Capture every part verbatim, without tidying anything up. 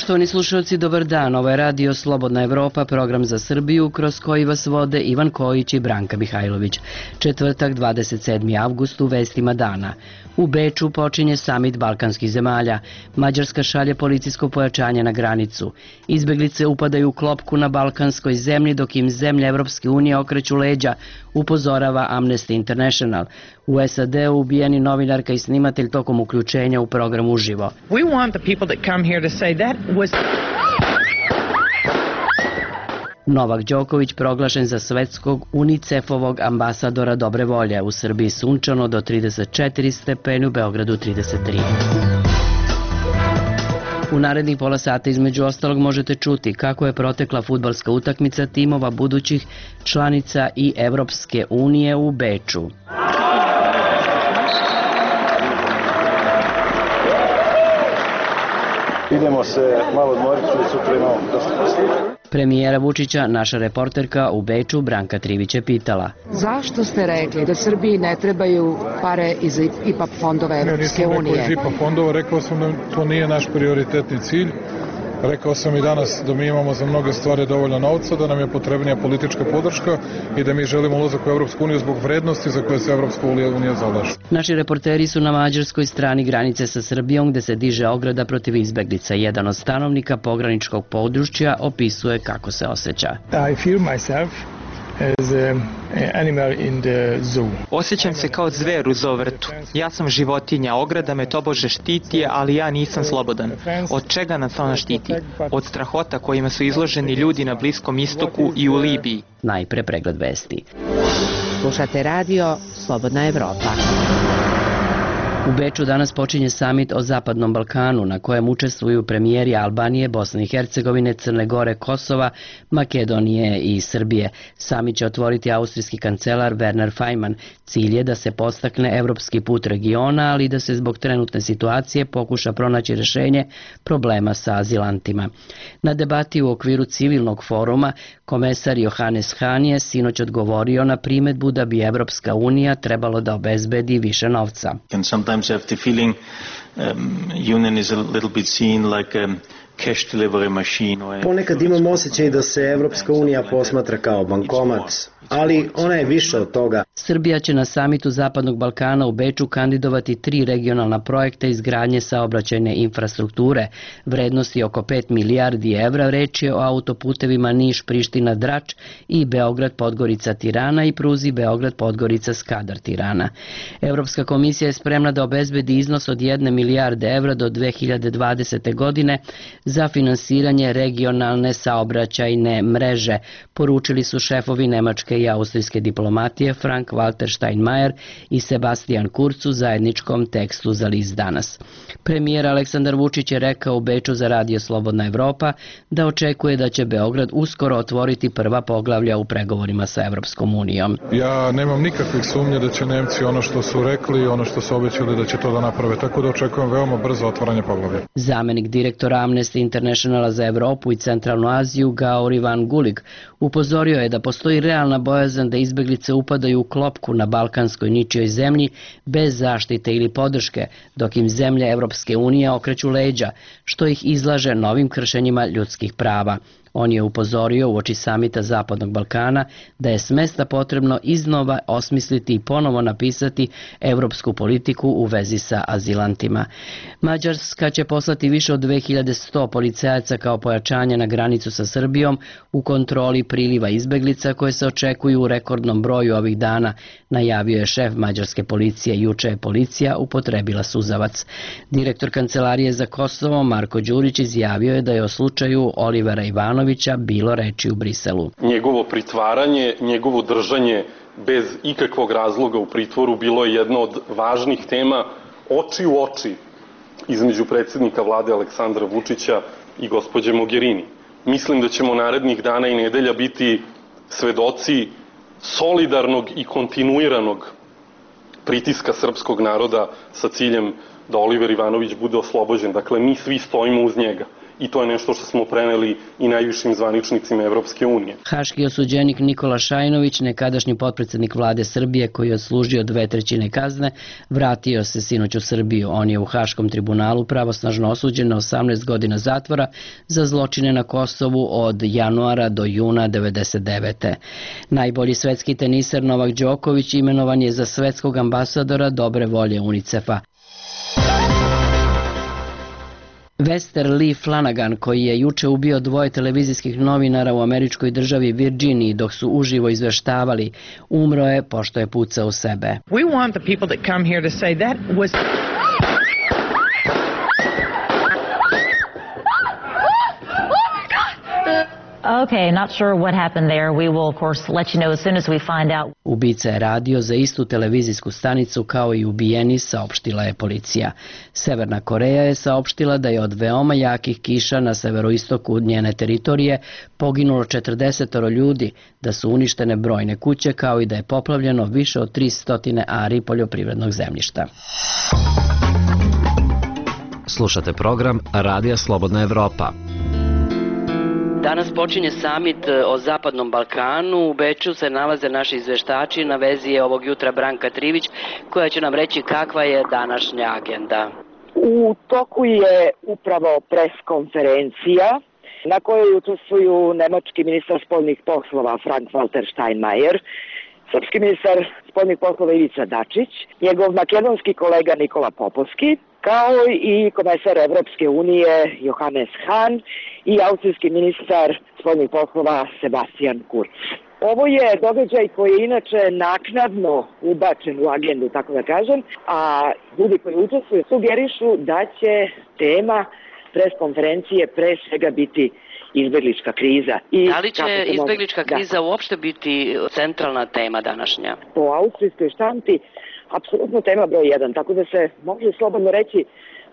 Poštovani slušalci, dobar dan. Ovo je radio Slobodna Evropa, program za Srbiju, kroz koji vas vode Ivan Kojić i Branka Mihajlović. Četvrtak, dvadeset sedmi avgust, u vestima dana. U Beču počinje samit balkanskih zemalja. Mađarska šalje policijsko pojačanje na granicu. Izbeglice upadaju u klopku na balkanskoj zemlji, dok im zemlje Evropske unije okreću leđa, upozorava Amnesty International. U S A D-u ubijeni novinarka i snimatelj tokom uključenja u program uživo. We want the people that come here to say that was... Novak Đoković proglašen za svetskog UNICEF-ovog ambasadora dobre volje. U Srbiji sunčano do trideset četiri stepeni, u Beogradu trideset tri. U narednih pola sata između ostalog možete čuti kako je protekla fudbalska utakmica timova budućih članica i Evropske unije u Beču. Idemo se malo odmoriti, sutra imamo dosta posla. Premijera Vučića, naša reporterka u Beču, Branka Trivić je pitala. Zašto ste rekli da Srbiji ne trebaju pare iz I P A fondova Evropske unije? Ne, nisam rekao iz I P A fondova, rekao sam da to nije naš prioritetni cilj. Rekao sam i danas da mi imamo za mnoge stvari dovoljno novca, da nam je potrebnija politička podrška i da mi želimo ulazak u Evropsku uniju zbog vrednosti za koje se Evropska unija zalaže. Naši reporteri su na mađarskoj strani granice sa Srbijom, gde se diže ograda protiv izbeglica. Jedan od stanovnika pograničkog područja opisuje kako se osjeća. I feel myself as an animal in the zoo. Osjećam se kao zver u zovrtu. Ja sam životinja, ograda me tobože štiti, ali ja nisam slobodan. Od čega nas ona štiti? Od strahota kojima su izloženi ljudi na Bliskom istoku i u Libiji. Najpre pregled vesti. Slušate radio Slobodna Evropa. U Beču danas počinje samit o Zapadnom Balkanu, na kojem učestvuju premijeri Albanije, Bosne i Hercegovine, Crne Gore, Kosova, Makedonije i Srbije. Samit će otvoriti austrijski kancelar Werner Faymann. Cilj je da se podstakne evropski put regiona, ali i da se zbog trenutne situacije pokuša pronaći rešenje problema sa azilantima. Na debati u okviru civilnog foruma komesar Johannes Hahn je sinoć odgovorio na primedbu da bi Evropska unija trebalo da obezbedi više novca. Sometimes I have the feeling um, union is a little bit seen like a cash delivery machine. Ponekad imam osjećaj da se Evropska unija posmatra kao bankomat, ali ona je više od toga. Srbija će na samitu Zapadnog Balkana u Beču kandidovati tri regionalna projekta izgradnje saobraćajne infrastrukture. Vrednosti oko pet milijardi evra, reč je o autoputevima Niš-Priština-Drač i Beograd-Podgorica-Tirana i pruzi Beograd-Podgorica-Skadar-Tirana. Evropska komisija je spremna da obezbedi iznos od jedne milijarde evra do dve hiljade dvadesete. godine za finansiranje regionalne saobraćajne mreže, poručili su šefovi nemačke i austrijske diplomatije Frank Walter Steinmeier i Sebastian Kurz u zajedničkom tekstu za list Danas. Premijer Aleksandar Vučić je rekao u Beču za radio Slobodna Evropa da očekuje da će Beograd uskoro otvoriti prva poglavlja u pregovorima sa Evropskom unijom. Ja nemam nikakvih sumnje da će Nemci ono što su rekli, ono što su obećali da će to da naprave, tako da očekujem veoma brzo otvaranje poglavlja. Zamenik direktora Amnesty Internationala za Evropu i Centralnu Aziju Gaur Ivan Gulig upozorio je da postoji realna bojazan da izbeglice upadaju u klopku na balkanskoj ničijoj zemlji bez zaštite ili podrške, dok im zemlje Evropske unije okreću leđa, što ih izlaže novim kršenjima ljudskih prava. On je upozorio uoči samita Zapadnog Balkana da je s mesta potrebno iznova osmisliti i ponovo napisati evropsku politiku u vezi sa azilantima. Mađarska će poslati više od dve hiljade sto policajaca kao pojačanje na granicu sa Srbijom u kontroli priliva izbeglica koje se očekuju u rekordnom broju ovih dana, najavio je šef mađarske policije. Juče je policija upotrebila suzavac. Direktor Kancelarije za Kosovo Marko Đurić izjavio je da je o slučaju Olivera Ivanovića bilo reči u Briselu. Njegovo pritvaranje, njegovo držanje bez ikakvog razloga u pritvoru bilo je jedna od važnih tema oči u oči između predsjednika vlade Aleksandra Vučića i gospođe Mogherini. Mislim da ćemo narednih dana i nedelja biti svedoci solidarnog i kontinuiranog pritiska srpskog naroda sa ciljem da Oliver Ivanović bude oslobođen. Dakle, mi svi stojimo uz njega. i to je nešto što smo preneli i najvišim zvaničnicima Evropske unije. Haški osuđenik Nikola Šajnović, nekadašnji potpredsednik vlade Srbije koji je odslužio dve trećine kazne, vratio se sinoć u Srbiju. On je u Haškom tribunalu pravosnažno osuđen na osamnaest godina zatvora za zločine na Kosovu od januara do juna devedeset devete. Najbolji svetski teniser Novak Đoković imenovan je za svetskog ambasadora dobre volje UNICEF-a. Vester Lee Flanagan, koji je juče ubio dvoje televizijskih novinara u američkoj državi Virginiji dok su uživo izveštavali, umro je pošto je pucao u sebe. We want the people that come here to say that was Okay, not sure what happened there. We will of course let you know as soon as we find out. Ubica je radio za istu televizijsku stanicu kao i ubijeni, saopštila je policija. Severna Koreja je saopštila da je od veoma jakih kiša na severoistoku njene teritorije poginulo četrdeset ljudi, da su uništene brojne kuće kao i da je poplavljeno više od tristo ari poljoprivrednog zemljišta. Slušate program Radija Slobodna Evropa. Danas počinje samit o Zapadnom Balkanu. U Beču se nalaze naši izveštači. Na vezi je ovog jutra Branka Trivić koja će nam reći kakva je današnja agenda. U toku je upravo preskonferencija na kojoj učestvuju nemački ministar spoljnih poslova Frank-Walter Steinmeier, srpski ministar spoljnih poslova Ivica Dačić, njegov makedonski kolega Nikola Popovski, kao i komesar Evropske unije Johannes Hahn i austrijski ministar spoljnih poslova Sebastian Kurz. Ovo je događaj koji je inače naknadno ubačen u agendu, tako da kažem, a ljudi koji učestvuju sugerišu da će tema preskonferencije pre svega biti izbeglička kriza. I da li će izbeglička mogu... kriza da. uopšte biti centralna tema današnja? Po austrijskoj štampi apsolutno tema broj jedan, tako da se može slobodno reći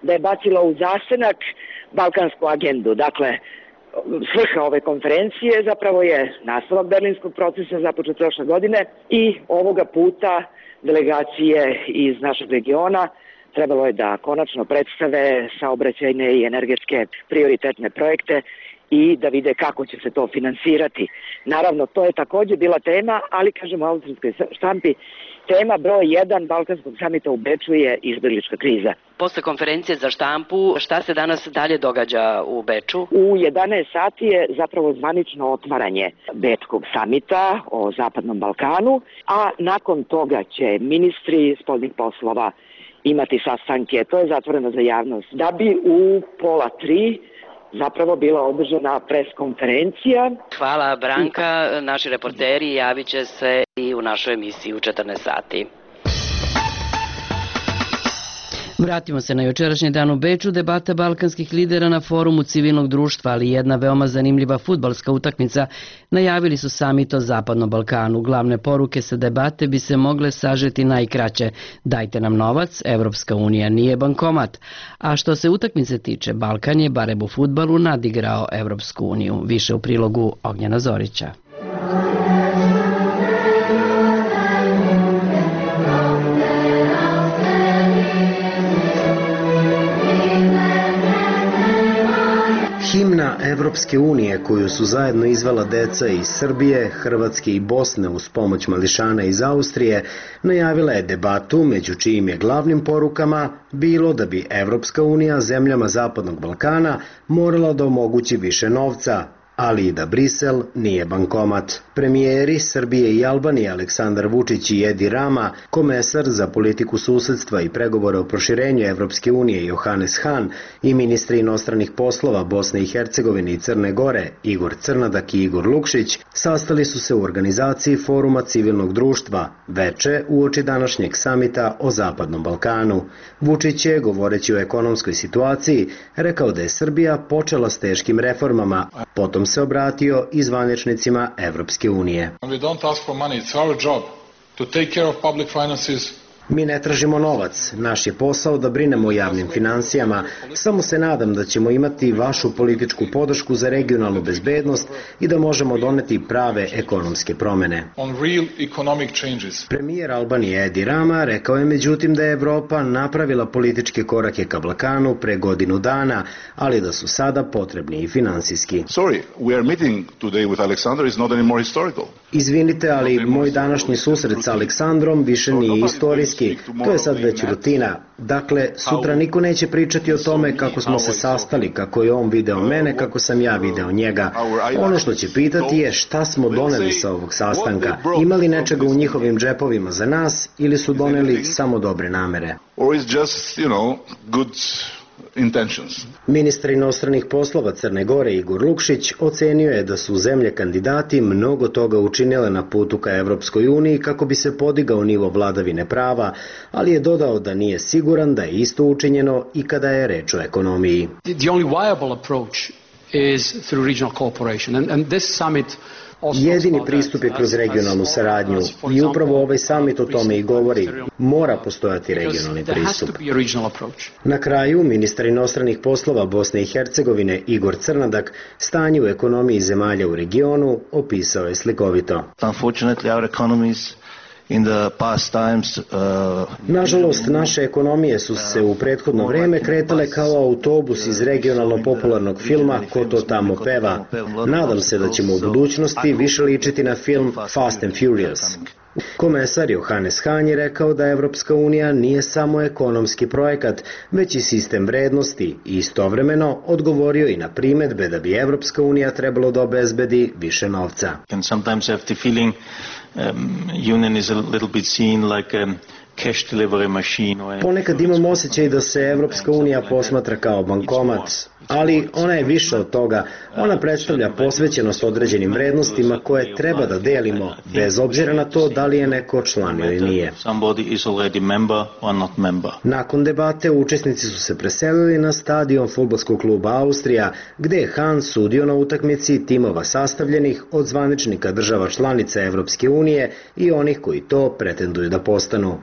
da je bacila u zasenak balkansku agendu. Dakle, svrha ove konferencije zapravo je nastavak berlinskog procesa započet prošle godine i ovoga puta delegacije iz našeg regiona trebalo je da konačno predstave saobraćajne i energetske prioritetne projekte i da vide kako će se to finansirati. Naravno, to je takođe bila tema, ali kažem u austrijskoj štampi, tema broj jedan Balkanskog samita u Beču je izbeglička kriza. Posle konferencije za štampu, šta se danas dalje događa u Beču? U jedanaest sati je zapravo zvanično otvaranje Bečkog samita o Zapadnom Balkanu, a nakon toga će ministri spoljnih poslova imati sastanke, to je zatvoreno za javnost, da bi u pola tri zapravo bila održana preskonferencija. Hvala Branka, naši reporteri javit će se i u našoj emisiji u četrnaest sati. Vratimo se na jučerašnji dan u Beču. Debata balkanskih lidera na forumu civilnog društva, ali jedna veoma zanimljiva fudbalska utakmica, najavili su samit o Zapadnom Balkanu. Glavne poruke sa debate bi se mogle sažeti najkraće. Dajte nam novac, Evropska unija nije bankomat. A što se utakmice tiče, Balkan je barem u fudbalu nadigrao Evropsku uniju. Više u prilogu Ognjena Zorića. Himna Evropske unije koju su zajedno izvela deca iz Srbije, Hrvatske i Bosne uz pomoć mališana iz Austrije, najavila je debatu među čijim je glavnim porukama bilo da bi Evropska unija zemljama Zapadnog Balkana morala da omogući više novca, ali i da Brisel nije bankomat. Premijeri Srbije i Albanije Aleksandar Vučić i Edi Rama, komesar za politiku susedstva i pregovore o proširenju Evropske unije Johannes Hahn i ministri inostranih poslova Bosne i Hercegovine i Crne Gore Igor Crnadak i Igor Lukšić sastali su se u organizaciji Foruma civilnog društva veče uoči današnjeg samita o Zapadnom Balkanu. Vučić je, govoreći o ekonomskoj situaciji, rekao da je Srbija počela s teškim reformama, potom se obratio i zvaničnicima Evropske unije. We don't ask for money, it's our job to take care of public finances, Mi ne tražimo novac, naš je posao da brinemo o javnim finansijama, samo se nadam da ćemo imati vašu političku podršku za regionalnu bezbednost i da možemo doneti prave ekonomske promene. Premijer Albanije Edi Rama rekao je međutim da je Evropa napravila političke korake ka Balkanu pre godinu dana, ali da su sada potrebni i finansijski. Sorry, we are meeting today with Alexander is not anymore historical. Izvinite, ali moj današnji susret sa Aleksandrom više nije istorijski, to je sad već rutina. Dakle, sutra niko neće pričati o tome kako smo se sastali, kako je on video mene, kako sam ja video njega. Ono što će pitati je šta smo doneli sa ovog sastanka, ima li nečega u njihovim džepovima za nas ili su doneli samo dobre namere. Or is just, you know, good intentions. Ministar inostranih poslova Crne Gore Igor Lukšić ocenio je da su zemlje kandidati mnogo toga učinile na putu ka Evropskoj uniji kako bi se podigao nivo vladavine prava, ali je dodao da nije siguran da je isto učinjeno i kada je reč o ekonomiji. The only viable approach is through regional cooperation and, and this summit Jedini pristup je kroz regionalnu saradnju i upravo ovaj samit o tome i govori. Mora postojati regionalni pristup. Na kraju, ministar inostranih poslova Bosne i Hercegovine Igor Crnadak stanje u ekonomiji zemalja u regionu opisao je slikovito. Unfortunately, our economies in the past times, uh... Nažalost, naše ekonomije su se u prethodno vreme kretale kao autobus iz regionalno popularnog filma Ko to tamo peva. Nadam se da ćemo u budućnosti više ličiti na film Fast and Furious. Komesar Johannes Hahn je rekao da Evropska unija nije samo ekonomski projekat, već i sistem vrednosti i istovremeno odgovorio i na primedbe da bi Evropska unija trebalo da obezbedi više novca. And sometimes I have the feeling um, union is a little bit seen like a cash delivery machine. Ponekad imam osjećaj da se Evropska unija posmatra kao bankomat, ali ona je više od toga. Ona predstavlja posvećenost određenim vrednostima koje treba da delimo, bez obzira na to da li je neko član ili nije. Nakon debate učesnici su se preselili na stadion fudbalskog kluba Austrija, gde je Hahn sudio na utakmici timova sastavljenih od zvaničnika država članica Evropske unije i onih koji to pretenduju da postanu.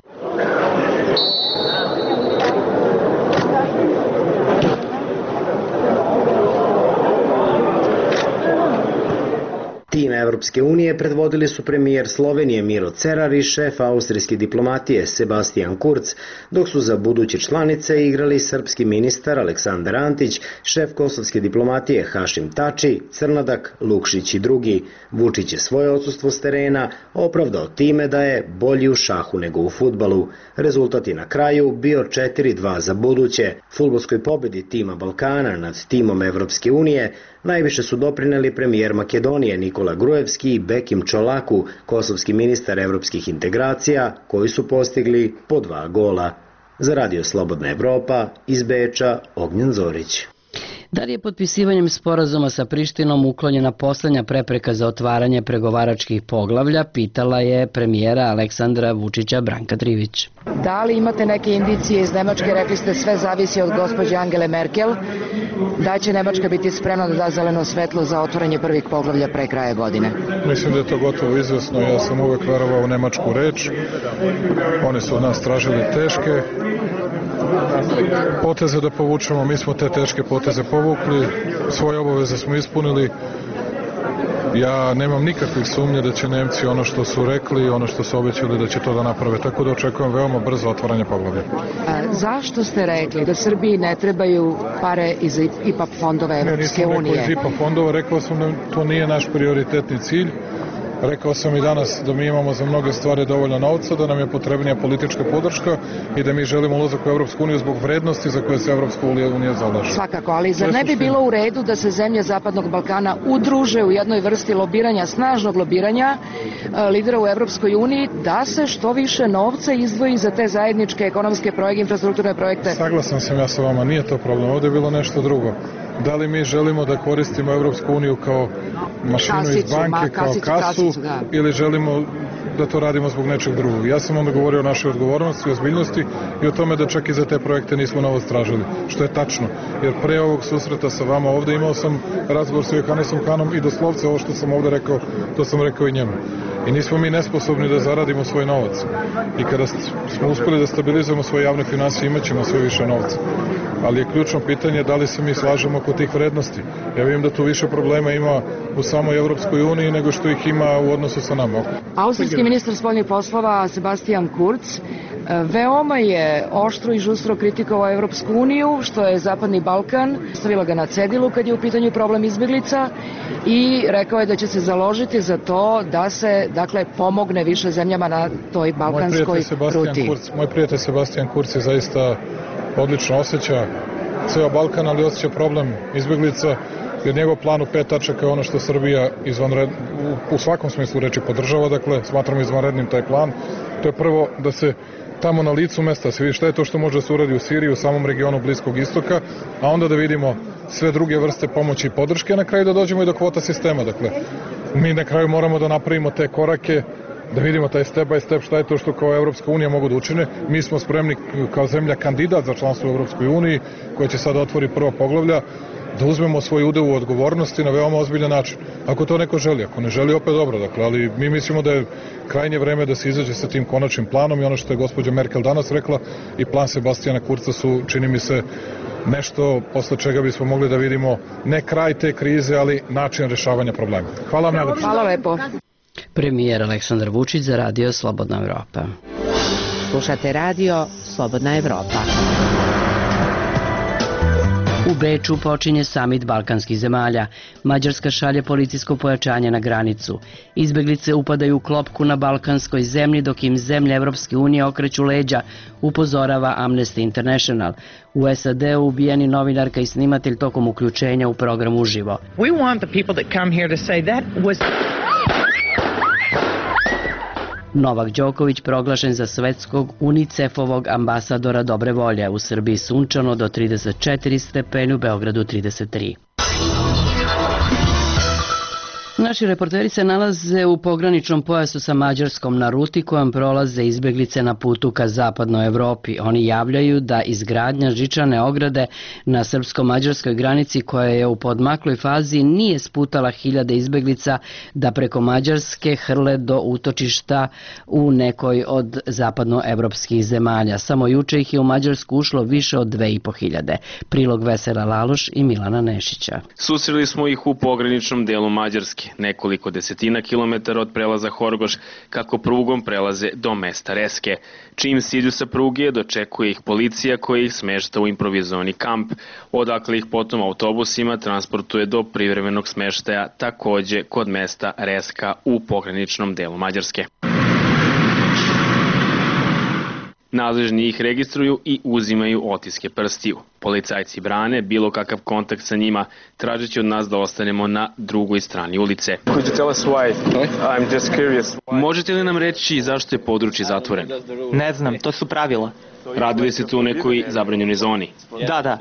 Tim Evropske unije predvodili su premijer Slovenije Miro Cerar i šef austrijske diplomatije Sebastian Kurz, dok su za buduće članice igrali srpski ministar Aleksandar Antić, šef kosovske diplomatije Hašim Tači, Crnadak, Lukšić i drugi. Vučić je svoje odsustvo s terena opravdao time da je bolji u šahu nego u fudbalu. Rezultat je na kraju bio četiri dva za buduće. Fudbalskoj pobedi tima Balkana nad timom Evropske unije najviše su doprineli premijer Makedonije Nikola Grujevski i Bekim Čolaku, kosovski ministar evropskih integracija, koji su postigli po dva gola. Za Radio Slobodna Evropa, iz Beča, Ognjen Zorić. Da li je potpisivanjem sporazuma sa Prištinom uklonjena poslednja prepreka za otvaranje pregovaračkih poglavlja, pitala je premijera Aleksandra Vučića Branka Trivić. Da li imate neke indicije iz Nemačke, rekli ste sve zavisi od gospođe Angele Merkel, da će Nemačka biti spremna da da zeleno svetlo za otvaranje prvih poglavlja pre kraja godine? Mislim da je to gotovo izvesno, ja sam uvek verovao u nemačku reč, oni su od nas tražili teške poteze da povučemo, mi smo te teške poteze povukli, svoje obaveze smo ispunili. Ja nemam nikakvih sumnje da će Nemci ono što su rekli, ono što su obećali da će to da naprave, tako da očekujem veoma brzo otvaranje poglavlja. Zašto ste rekli da Srbiji ne trebaju pare iz I P A fondova Evropske unije? Ne, nisam rekao iz I P A fondova, rekao sam da to nije naš prioritetni cilj. Rekao sam i danas da mi imamo za mnoge stvari dovoljno novca, da nam je potrebnija politička podrška i da mi želimo ulazak u Evropsku uniju zbog vrednosti za koje se Evropska unija zalaže. Svakako, ali zar ne bi bilo u redu da se zemlje Zapadnog Balkana udruže u jednoj vrsti lobiranja, snažnog lobiranja lidera u Evropskoj uniji, da se što više novca izdvoji za te zajedničke ekonomske projekte, infrastrukturne projekte? Saglasan sam ja sa vama, nije to problem, ovde je bilo nešto drugo. Da li mi želimo da koristimo Evropsku uniju kao mašinu iz banke, kao kasu, ili želimo da to radimo zbog nečeg drugog. Ja sam onda govorio o našoj odgovornosti, ozbiljnosti i o tome da čak i za te projekte nismo novo stražili, što je tačno. Jer pre ovog susreta sa vama ovde imao sam razgovor sa Johannesom Hanom i doslovce ovo što sam ovde rekao, to sam rekao i njemu. I nismo mi nesposobni da zaradimo svoj novac. I kada smo uspeli da stabilizujemo svoje javne finansije, imat ćemo sve više novca. Ali je ključno pitanje da li se mi slažemo oko tih vrednosti. Ja vidim da tu više problema ima u samoj Evropskoj uniji nego što ih ima u odnosu sa nama. Austrijski ministar spoljnih poslova Sebastian Kurz veoma je oštro i žustro kritikovao Evropsku uniju, što je Zapadni Balkan, stavila ga na cedilu kad je u pitanju problem izbjeglica i rekao je da će se založiti za to da se, dakle, pomogne više zemljama na toj balkanskoj ruti. Kurz, moj prijatelj Sebastian Kurz je zaista odlično osjeća ceo Balkan, ali osjeća problem izbjeglica, jer njegov plan u pet tačaka je ono što Srbija izvanred, u, u svakom smislu reči podržava, dakle, smatramo izvanrednim taj plan. To je prvo da se tamo na licu mesta se vidi šta je to što može da se uradi u Siriji, u samom regionu Bliskog istoka, a onda da vidimo sve druge vrste pomoći i podrške, a na kraju da dođemo i do kvota sistema. Dakle, mi na kraju moramo da napravimo te korake, da vidimo taj step by step šta je to što kao Evropska unija mogu da učine. Mi smo spremni kao zemlja kandidat za članstvo u Evropskoj uniji, koja će sada otvori prva poglavlja, da uzmemo svoj udeo u odgovornosti na veoma ozbiljan način. Ako to neko želi, ako ne želi, opet dobro. Dakle, ali mi mislimo da je krajnje vreme da se izađe sa tim konačnim planom i ono što je gospođa Merkel danas rekla i plan Sebastijana Kurca su, čini mi se, nešto posle čega bismo mogli da vidimo ne kraj te krize, ali način rešavanja problema. Hvala vam najlepše. Hvala lepo. Premijer Aleksandar Vučić za radio Slobodna Evropa. Slušate radio Slobodna Evropa. U Beču počinje samit balkanskih zemalja. Mađarska šalje policijsko pojačanje na granicu. Izbeglice upadaju u klopku na balkanskoj zemlji dok im zemlje Evropske unije okreću leđa, upozorava Amnesty International. U S A D-u ubijeni novinarka i snimatelj tokom uključenja u program uživo. We want the people that come here to say that was Novak Đoković proglašen za svetskog UNICEF-ovog ambasadora dobre volje. U Srbiji sunčano do trideset četiri stepeni, u Beogradu trideset tri. Naši reporteri se nalaze u pograničnom pojasu sa Mađarskom na ruti kojom prolaze izbeglice na putu ka zapadnoj Evropi. Oni javljaju da izgradnja žičane ograde na srpsko-mađarskoj granici koja je u podmakloj fazi nije sputala hiljade izbeglica da preko Mađarske hrle do utočišta u nekoj od zapadnoevropskih zemalja. Samo juče ih je u Mađarsku ušlo više od dve i po hiljade. Prilog Vesela Laloš i Milana Nešića. Susreli smo ih u pograničnom delu Mađarske, nekoliko desetina kilometara od prelaza Horgoš, kako prugom prelaze do mesta Reske. Čim siđu sa pruge, dočekuje ih policija koja ih smešta u improvizovani kamp, odakle ih potom autobusima transportuje do privremenog smeštaja, takođe kod mesta Reska u pograničnom delu Mađarske. Nadležni ih registruju i uzimaju otiske prstiju. Policajci brane bilo kakav kontakt sa njima, tražeći od nas da ostanemo na drugoj strani ulice. Možete li nam reći zašto je područje zatvoreno? Ne znam, to su pravila. Radili se tu u nekoj zabranjenoj zoni? Da, da.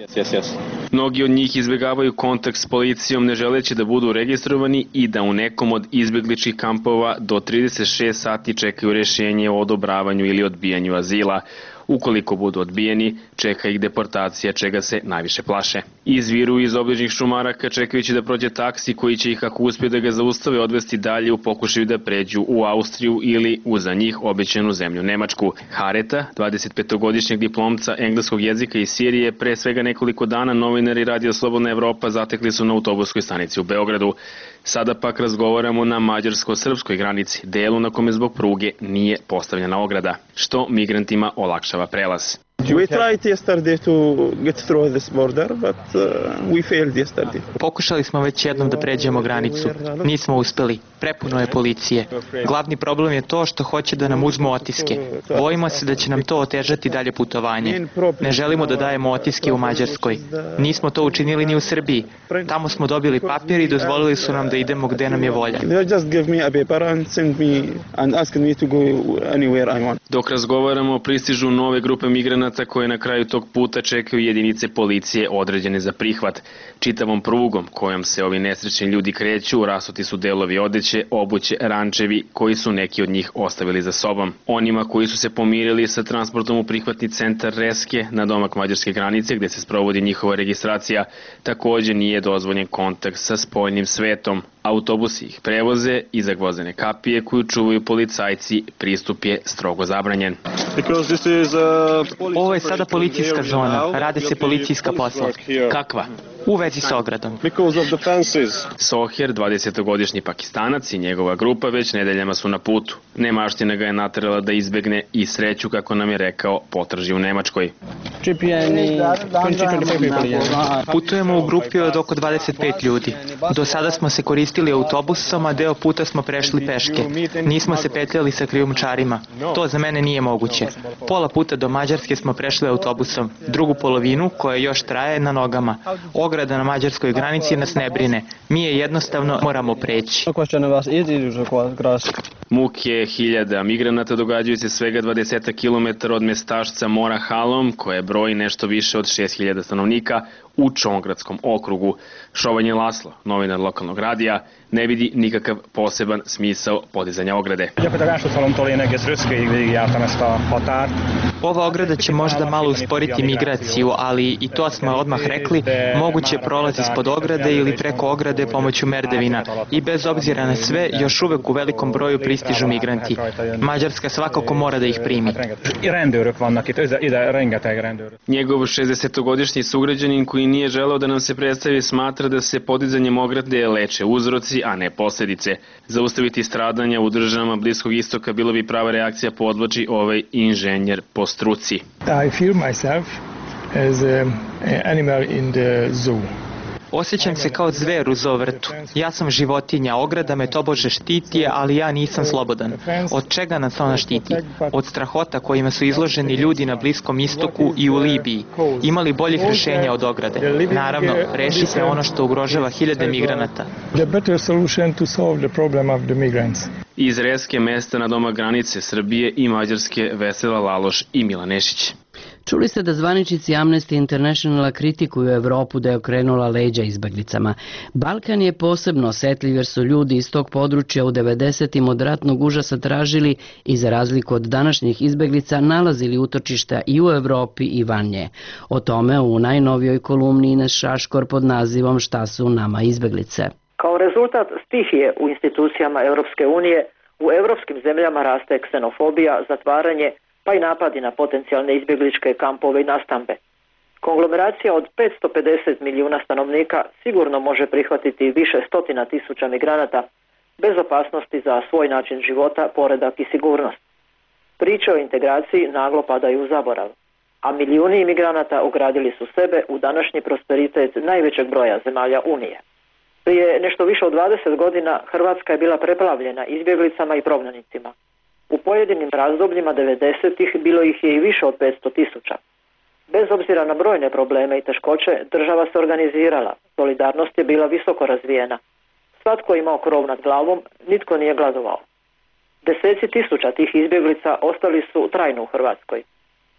Mnogi od njih izbjegavaju kontakt s policijom ne želeći da budu registrovani i da u nekom od izbjegličkih kampova do trideset šest sati čekaju rješenje o odobravanju ili odbijanju azila. Ukoliko budu odbijeni, čeka ih deportacija, čega se najviše plaše. Izviru iz obližnjih šumaraka čekajući da prođe taksi koji će ih, ako uspije da ga zaustave, odvesti dalje u pokušaju da pređu u Austriju ili u za njih obećanu zemlju Nemačku. Hareta, dvadesetpetogodišnjeg diplomca engleskog jezika iz Sirije, pre svega nekoliko dana novinari Radio Slobodna Evropa zatekli su na autobuskoj stanici u Beogradu. Sada pak razgovaramo na mađarsko-srpskoj granici, delu na kome zbog pruge nije postavljena ograda, što migrantima olakšava prelaz. We tried yesterday to get through this border, but uh, we failed yesterday. Pokušali smo već jednom da pređemo granicu. Nismo uspeli. Prepuno je policije. Glavni problem je to što hoće da nam uzmu otiske. Bojimo se da će nam to otežati dalje putovanje. Ne želimo da dajemo otiske u Mađarskoj. Nismo to učinili ni u Srbiji. Tamo smo dobili papir i dozvolili su nam da idemo gde nam je volja. Dok razgovaramo, pristižu nove grupe migranata migranata koje na kraju tog puta čekaju jedinice policije određene za prihvat. Čitavom prugom kojom se ovi nesrećni ljudi kreću, rasuti su delovi odeće, obuće, rančevi koji su neki od njih ostavili za sobom. Onima koji su se pomirili sa transportom u prihvatni centar Reske na domak mađarske granice gde se sprovodi njihova registracija, takođe nije dozvoljen kontakt sa spoljnim svetom. Autobusi ih prevoze i za gvozdene kapije koju čuvaju policajci, pristup je strogo zabranjen. Ovo je sada policijska zona, rade se policijska posla. Kakva? U vezi s ogradom. Soher, dvadesetogodišnji Pakistanac i njegova grupa već nedeljama su na putu. Nemaština ga je naterala da izbegne i sreću, kako nam je rekao, potraži u Nemačkoj. Putujemo u grupi od oko dvadeset pet ljudi. Do sada smo se koristili autobusom, a deo puta smo prešli peške. Nismo se petljali sa krijumčarima. To za mene nije moguće. Pola puta do Mađarske smo prešli autobusom. Drugu polovinu, koja još traje, na nogama. Ograda na mađarskoj granici nas ne brine. Mi je jednostavno moramo preći. Muke hiljada migranata događaju se svega dvadeset kilometara od mestašca Mora Halom, koje broji nešto više od šest hiljada stanovnika u Čongradskom okrugu. Šovanje Laslo, novinar lokalnog radija, ne vidi nikakav poseban smisao podizanja ograde. Ova ograda će možda malo usporiti migraciju, ali i to smo odmah rekli, moguće prolazi ispod ograde ili preko ograde pomoću merdevina. I bez obzira na sve, još uvek u velikom broju pristižu migranti. Mađarska svakako mora da ih primi. Njegov šezdesetogodišnji sugrađanin koji nije želeo da nam se predstavi smatra da se podizanjem ograde leče uzroci, a ne posljedice. Zaustaviti stradanja u državama Bliskog istoka bilo bi prava reakcija, podvlači ovaj inženjer po struci. I feel myself as an animal in the zoo. Osjećam se kao zver u zovrtu. Ja sam životinja, ograda me tobože štiti, ali ja nisam slobodan. Od čega nas ona štiti? Od strahota kojima su izloženi ljudi na Bliskom istoku i u Libiji. Imali boljih rešenja od ograde? Naravno, reši se ono što ugrožava hiljade migranata. The better solution to solve the problem of the migrants. Iz Reske, mesta na domak granice Srbije i Mađarske, Vesela Laloš i Milan Nešić. Čuli ste da zvaničnici Amnesty Internationala kritikuju Evropu da je okrenula leđa izbeglicama. Balkan je posebno osetljiv jer su ljudi iz tog područja u devedesetim od ratnog užasa tražili i za razliku od današnjih izbeglica nalazili utočišta i u Evropi i van nje. O tome u najnovijoj kolumni Ines Šaškor pod nazivom Šta su nama izbeglice. Kao rezultat stihije u institucijama Europske unije, u evropskim zemljama raste ksenofobija, zatvaranje, pa i napadi na potencijalne izbjegličke kampove i nastambe. Konglomeracija od petsto pedeset milijuna stanovnika sigurno može prihvatiti više stotina tisuća migranata bez opasnosti za svoj način života, poredak i sigurnost. Priče o integraciji naglo padaju u zaborav, a milijuni imigranata ugradili su sebe u današnji prosperitet najvećeg broja zemalja Unije. Prije nešto više od dvadeset godina Hrvatska je bila preplavljena izbjeglicama i prognanicima. U pojedinim razdobljima devedesetih bilo ih je i više od petsto tisuća. Bez obzira na brojne probleme i teškoće, država se organizirala, solidarnost je bila visoko razvijena. Svatko je imao krov nad glavom, nitko nije gladovao. Deseci tisuća tih izbjeglica ostali su trajno u Hrvatskoj.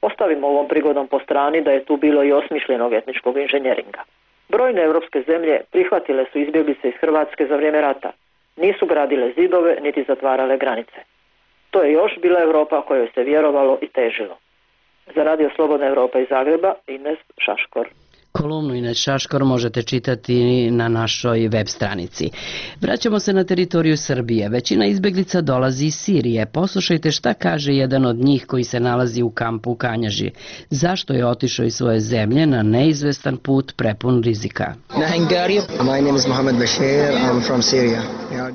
Ostavimo ovom prigodom po strani da je tu bilo i osmišljenog etničkog inženjeringa. Brojne evropske zemlje prihvatile su izbjeglice iz Hrvatske za vrijeme rata. Nisu gradile zidove niti zatvarale granice. To je još bila Europa kojoj se vjerovalo i težilo. Za Radio Slobodna Evropa iz Zagreba, Ines Šaškor. Kolumnu Ines Šaškor možete čitati na našoj web stranici. Vraćamo se na teritoriju Srbije. Većina izbeglica dolazi iz Sirije. Poslušajte šta kaže jedan od njih koji se nalazi u kampu u Kanjaži. Zašto je otišao iz svoje zemlje na neizvestan put prepun rizika? My name is Mohamed Bashir. I'm from Syria.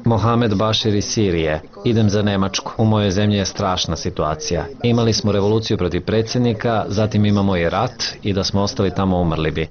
Mohamed Bashir iz Sirije. Idem za Nemačku. U mojoj zemlji je strašna situacija. Imali smo revoluciju protiv predsjednika, zatim imamo i rat i da smo ostali tamo umrli bi.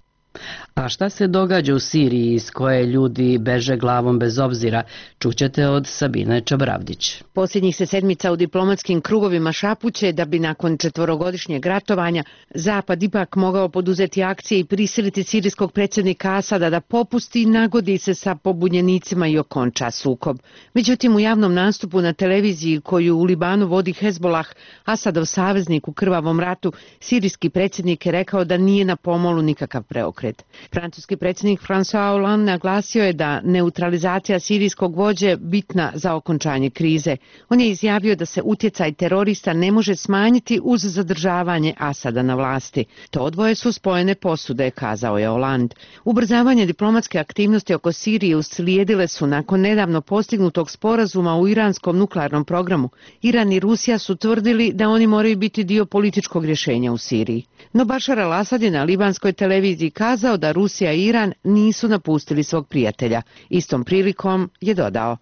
A šta se događa u Siriji iz koje ljudi beže glavom bez obzira, čućete od Sabine Čabravdić. Posljednjih se sedmica u diplomatskim krugovima šapuće da bi nakon četvorogodišnjeg ratovanja Zapad ipak mogao poduzeti akcije i prisiliti sirijskog predsjednika Asada da popusti i nagodi se sa pobunjenicima i okonča sukob. Međutim, u javnom nastupu na televiziji koju u Libanu vodi Hezbolah, Asadov saveznik u krvavom ratu, sirijski predsjednik je rekao da nije na pomolu nikakav preokret. Francuski predsjednik François Hollande naglasio je da neutralizacija sirijskog vođe bitna za okončanje krize. On je izjavio da se utjecaj terorista ne može smanjiti uz zadržavanje Asada na vlasti. To dvoje su spojene posude, kazao je Hollande. Ubrzavanje diplomatske aktivnosti oko Sirije uslijedile su nakon nedavno postignutog sporazuma u iranskom nuklearnom programu. Iran i Rusija su tvrdili da oni moraju biti dio političkog rješenja u Siriji. No Bašar al-Asad je na libanskoj televiziji kazao da Rusija i Iran nisu napustili svog prijatelja. Istom prilikom je dodao: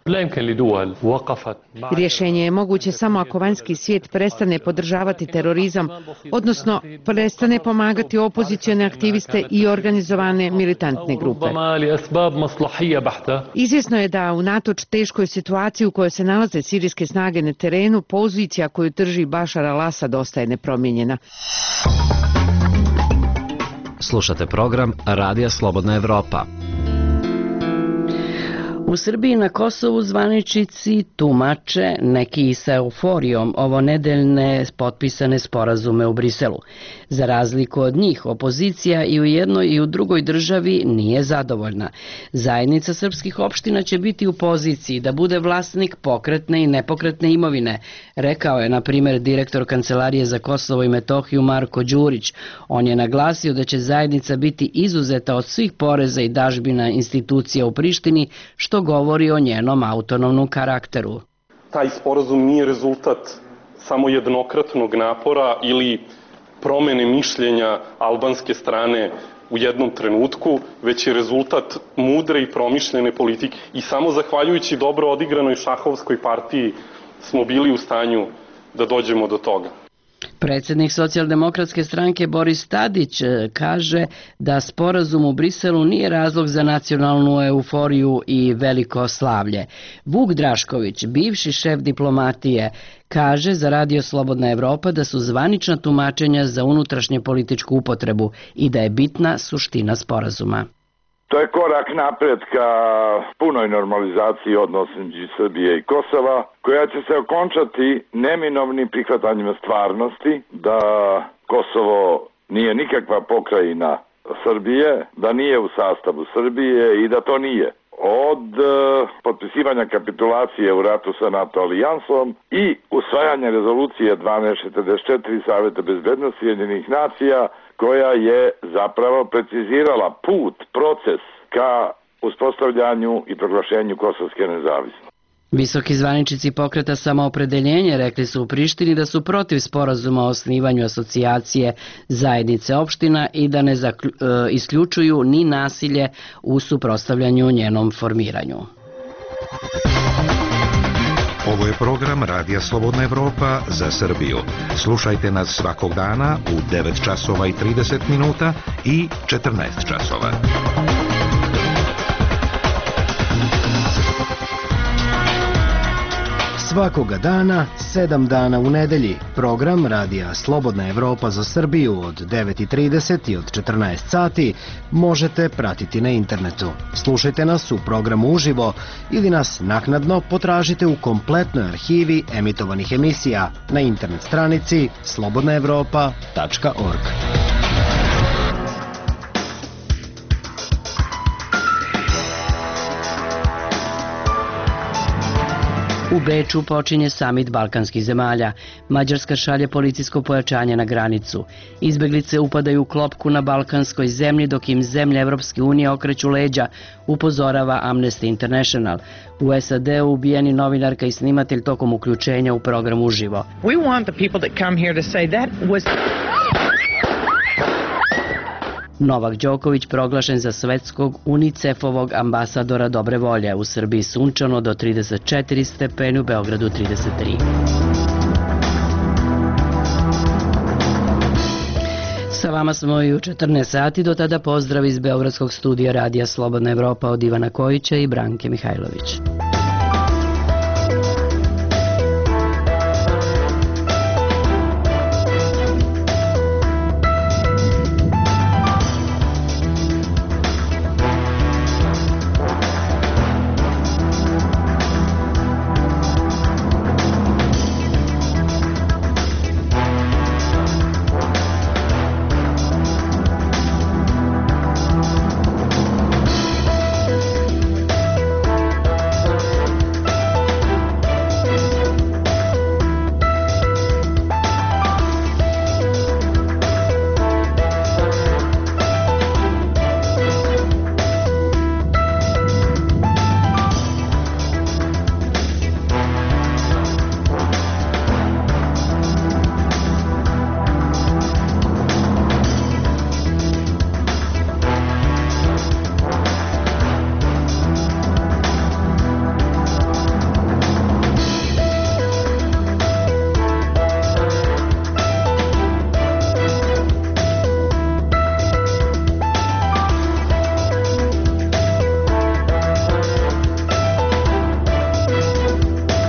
rješenje je moguće samo ako vanjski svijet prestane podržavati terorizam, odnosno prestane pomagati opozicione aktiviste i organizovane militantne grupe. Izvjesno je da unatoč teškoj situaciji u kojoj se nalaze sirijske snage na terenu, pozicija koju drži Bašar al-Asad ostaje nepromijenjena. Slušate program Radija Slobodna Evropa. U Srbiji na Kosovu zvaničnici tumače, neki i sa euforijom, ovo nedeljne potpisane sporazume u Briselu. Za razliku od njih, opozicija i u jednoj i u drugoj državi nije zadovoljna. Zajednica srpskih opština će biti u poziciji da bude vlasnik pokretne i nepokretne imovine, rekao je, na primjer, direktor Kancelarije za Kosovo i Metohiju Marko Đurić. On je naglasio da će zajednica biti izuzeta od svih poreza i dažbina institucija u Prištini, što govori o njenom autonomnom karakteru. Taj sporazum nije rezultat samo jednokratnog napora ili promene mišljenja albanske strane u jednom trenutku, već je rezultat mudre i promišljene politike. I samo zahvaljujući dobro odigranoj šahovskoj partiji smo bili u stanju da dođemo do toga. Predsjednik socijaldemokratske stranke Boris Tadić kaže da sporazum u Briselu nije razlog za nacionalnu euforiju i veliko slavlje. Vuk Drašković, bivši šef diplomatije, kaže za Radio Slobodna Evropa da su zvanična tumačenja za unutrašnje političku upotrebu i da je bitna suština sporazuma. To je korak napred ka punoj normalizaciji odnosa između Srbije i Kosova, koja će se okončati neminovnim prihvatanjem stvarnosti da Kosovo nije nikakva pokrajina Srbije, da nije u sastavu Srbije i da to nije. Od uh, potpisivanja kapitulacije u ratu sa NATO alijansom i usvajanja rezolucije dvanaest četrdeset četiri Saveta bezbednosti Ujedinjenih nacija, koja je zapravo precizirala put, proces ka uspostavljanju i proglašenju kosovske nezavisnosti. Visoki zvaničnici pokreta Samoopredeljenje rekli su u Prištini da su protiv sporazuma o osnivanju asocijacije zajednice opština i da ne zaklju, e, isključuju ni nasilje u suprotstavljanju njenom formiranju. Ovo je program Radija Slobodna Evropa za Srbiju. Slušajte nas svakog dana u devet časova i trideset minuta i četrnaest časova. Svakoga dana, sedam dana u nedelji, program Radija Slobodna Evropa za Srbiju od devet i trideset i od četrnaest sati možete pratiti na internetu. Slušajte nas u programu uživo ili nas naknadno potražite u kompletnoj arhivi emitovanih emisija na internet stranici slobodna evropa tačka org. U Beču počinje samit balkanskih zemalja. Mađarska šalje policijsko pojačanje na granicu. Izbeglice upadaju u klopku na balkanskoj zemlji dok im zemlje Evropske unije okreću leđa, upozorava Amnesty International. U S A D-u ubijeni novinarka i snimatelj tokom uključenja u program uživo. We want the people that come here to say that was... Novak Đoković proglašen za svetskog UNICEF-ovog ambasadora dobre volje. U Srbiji sunčano do trideset četiri stepeni, u Beogradu trideset tri. Sa vama smo i u četrnaest sati, do tada pozdrav iz Beogradskog studija Radija Slobodna Evropa od Ivana Kojića i Branke Mihajlović.